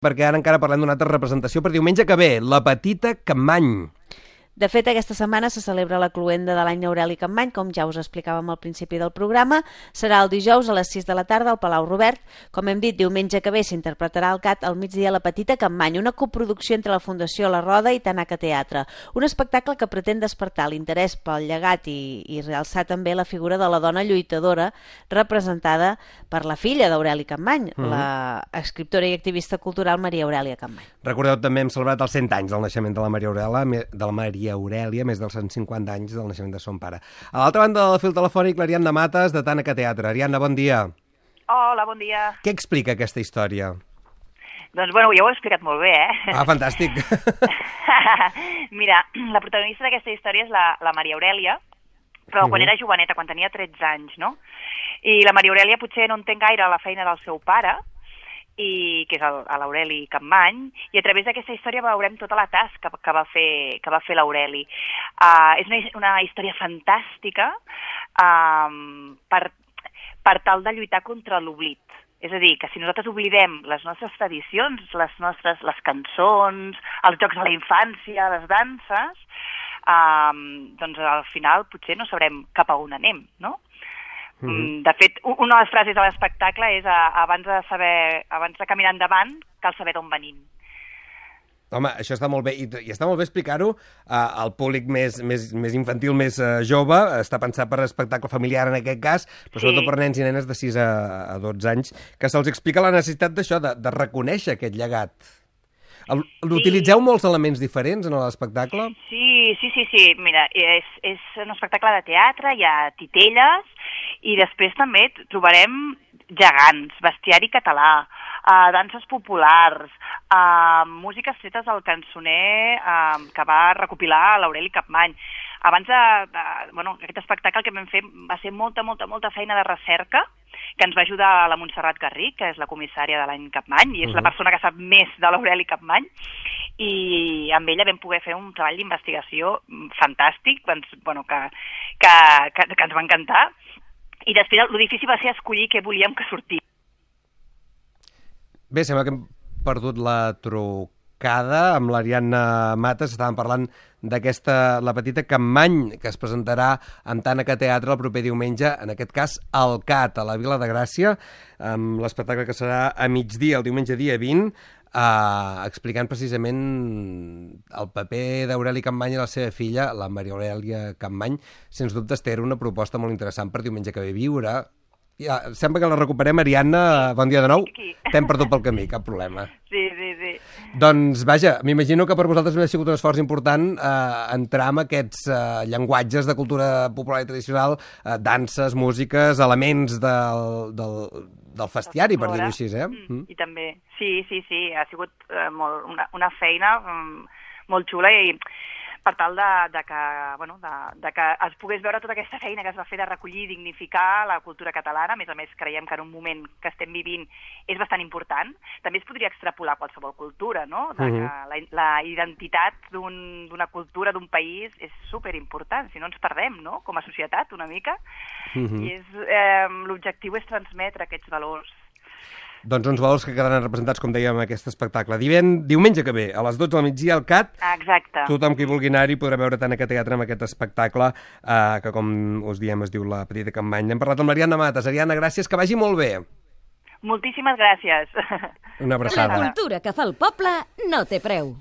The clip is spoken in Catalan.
perquè ara encara parlem d'una altra representació per diumenge que ve, la Petita Capmany. De fet, aquesta setmana se celebra la cloenda de l'any Aureli Capmany, com ja us explicàvem al principi del programa. Serà el dijous a les 6 de la tarda al Palau Robert. Com hem dit, diumenge que ve s'interpretarà al CAT al migdia La Petita Capmany, una coproducció entre la Fundació La Roda i Tanaca Teatre. Un espectacle que pretén despertar l'interès pel llegat i realçar també la figura de la dona lluitadora representada per la filla d'Aureli Capmany, la escriptora i activista cultural Maria Aurèlia Capmany. Recordeu, també hem celebrat els 100 anys del naixement de la Maria Aurèlia, més dels 150 anys del naixement de son pare. A l'altra banda del fil telefònic, l'Ariadna Mates, de Tanaca Teatre. Ariadna, bon dia. Hola, bon dia. Què explica aquesta història? Doncs, bueno, ja ho he explicat molt bé, Ah, fantàstic. Mira, la protagonista d'aquesta història és la Maria Aurèlia, però quan era joveneta, quan tenia 13 anys, no? I la Maria Aurèlia potser no entén gaire la feina del seu pare, que és l'Aureli Capmany, i a través d'aquesta història veurem tota la tasca que va fer l'Aureli. És una història fantàstica per tal de lluitar contra l'oblit. És a dir, que si nosaltres oblidem les nostres tradicions, les cançons, els jocs de la infància, les danses, doncs al final potser no sabrem cap a on anem, no? De fet, una de les frases de l'espectacle és abans de caminar endavant, cal saber d'on venim. Home, això està molt bé, i està molt bé explicar-ho al públic més infantil, més jove. Està pensat per espectacle familiar en aquest cas, però sobretot per nens i nenes de 6 a 12 anys, que se'ls explica la necessitat d'això, de reconèixer aquest llegat. Utilitzeu molts elements diferents en l'espectacle? Sí. Mira, és un espectacle de teatre, hi ha titelles, i després també trobarem gegants, bestiari català, danses populars, músiques fetes del cançoner que va recopilar l'Aureli Capmany. Aquest espectacle que vam fer va ser molta feina de recerca, que ens va ajudar la Montserrat Garric, que és la comissària de l'any Capmany, i és la persona que sap més de l'Aureli Capmany, i amb ella vam poder fer un treball d'investigació fantàstic, que ens va encantar, i després el difícil va ser escollir què volíem que sortís. Bé, sembla que hem perdut la trucada amb l'Ariadna Mates. Estàvem parlant d'aquesta La Petita Capmany, que es presentarà en Tanaca Teatre el proper diumenge, en aquest cas al CAT, a la Vila de Gràcia, amb l'espectacle que serà a migdia, el diumenge dia 20, explicant precisament el paper d'Aureli Capmany i la seva filla, la Maria Aurèlia Capmany. Sens dubte, era una proposta molt interessant per diumenge que ve viure. Ja, sembla que la recuperem, Ariadna. Bon dia de nou. T'hem perdut pel camí, cap problema. Sí. Doncs, vaja, m'imagino que per vosaltres ha sigut un esforç important entrar en aquests llenguatges de cultura popular i tradicional, danses, músiques, elements del festiari, per dir-ho així, I també, sí, ha sigut una feina molt xula, i per tal de que es pogués veure tota aquesta feina que es va fer de recollir i dignificar la cultura catalana. A més, creiem que en un moment que estem vivint és bastant important. També es podria extrapolar qualsevol cultura, no? Que la identitat d'una cultura, d'un país, és superimportant, si no ens perdem, no?, com a societat, una mica. I l'objectiu és transmetre aquests valors. Doncs uns valors que quedaran representats, com dèiem, en aquest espectacle. Diumenge que ve, a les 12 del migdia, al CAT. Exacte. Tothom qui vulgui anar-hi podrà veure Tanaca Teatre amb aquest espectacle, que, com us diem, es diu La Petita Capmany. Hem parlat amb l'Ariadna Mates. Ariadna, gràcies, que vagi molt bé. Moltíssimes gràcies. Una abraçada. La cultura que fa el poble no té preu.